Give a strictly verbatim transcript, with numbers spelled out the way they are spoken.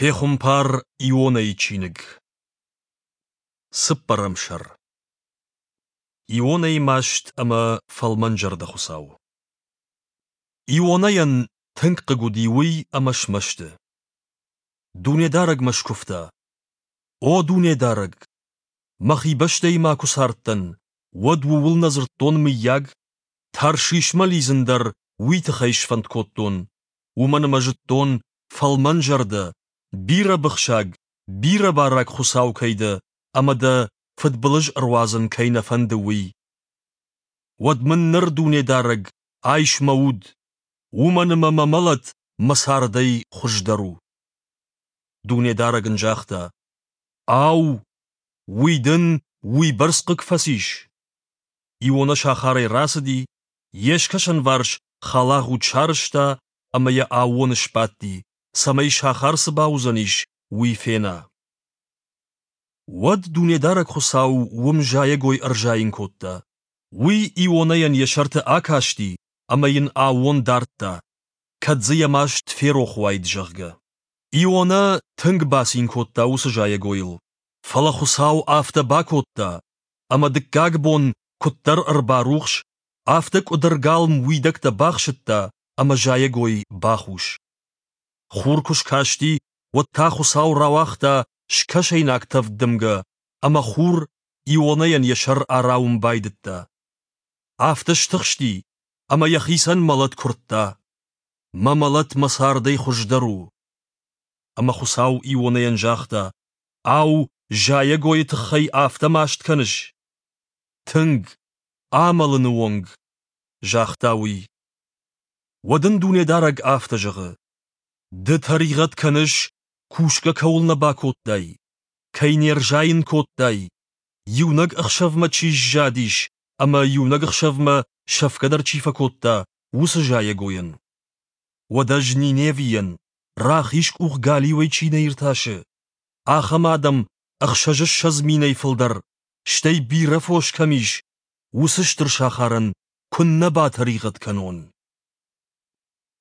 Пехуымпар Ионӕйы чиныг. Цыппӕрӕм сӕр. Ионӕйы маст ӕмӕ фӕлмӕнзӕрдӕ Хуыцау. Ионӕйӕн тынг хъыг уыди уый ӕмӕ смӕсты. Дунедарӕгмӕ скуывта: «О Дунедарӕг! Мӕхи бӕстӕйы ма куы цардтӕн, уӕд ууыл нӕ дзырдтон, мыййаг? Таршишмӕ лидзын дӕр уый тыххӕй сфӕнд кодтон, уымӕн ӕмӕ зыдтон, фӕлмӕнзӕрдӕ, бирӕбыхсаг, бирӕбараг Хуыцау кӕй дӕ ӕмӕ дӕ фыдбылыз ӕруадзын кӕй нӕ фӕнды, уый. Уӕд мын ныр, Дунедарӕг, айс мӕ уд, уымӕн ӕмӕ мӕ мӕлӕт мӕ цардӕй хуыздӕр у». Дунедарӕг ын загъта: «Ау, уый дын уыйбӕрц хъыг фӕцис?» Иона сахарӕй рацыди, йе скӕсӕнварс халагъуд сарӕзта ӕмӕ йӕ аууоны сбадти, цӕмӕй сахар цы бауыдзӕнис, уый фена. Уӕд Дунедарӕг Хуыцау уым зайӕгой ӕрзайын кодта. Уый Ионӕйӕн йӕ сӕрты акасти ӕмӕ йын аууон дардта, кӕд дзы йӕ маст ферох уаид, зӕгъгӕ. Ионӕ тынг бацин кодта уыцы зайӕгойыл. Фӕлӕ Хуыцау афтӕ бакодта, ӕмӕ дыккаг бон куыддӕр ӕрбарухс, афтӕ къуыдыргалм уидӕгтӕ бахсыдта ӕмӕ зайӕгой бахус. Хур куы скасти, уӕд та Хуыцау рауагъта скӕсӕйнаг тӕвд дымгӕ, ӕмӕ хур Ионӕйӕн йӕ сӕр арауын байдыдта. Афтӕ стыхсти, ӕмӕ йӕхицӕн мӕлӕт куырдта. Мӕ мӕлӕт мӕ цардӕй хуыздӕр у. Ӕмӕ Хуыцау Ионӕйӕн загъта: Ау, зайӕгойы тыххӕй афтӕ маст кӕныс? Тынг, амӕлыны онг, загъта уый. Уӕд ын Дунедарӕг афтӕ зӕгъы: Ды тӕригъӕд кӕныс, кусгӕ кӕуыл нӕ бакодтай, кӕй не рзайын кодтай, иунӕг ӕхсӕвмӕ чи сзадис ӕмӕ иунӕг ӕхсӕвмӕ сӕфгӕ дӕр чи фӕкодта, уыцы зайӕгойӕн. Уӕд ӕз Ниневийӕн, рахиз къух галиуӕй чи нӕ иртасы, ахӕм адӕм ӕхсӕзыссӕдз минӕй фылдӕр, стӕй бирӕ фос кӕм ис, уыцы стыр сахарӕн куыннӕ батӕригъӕд кӕнон.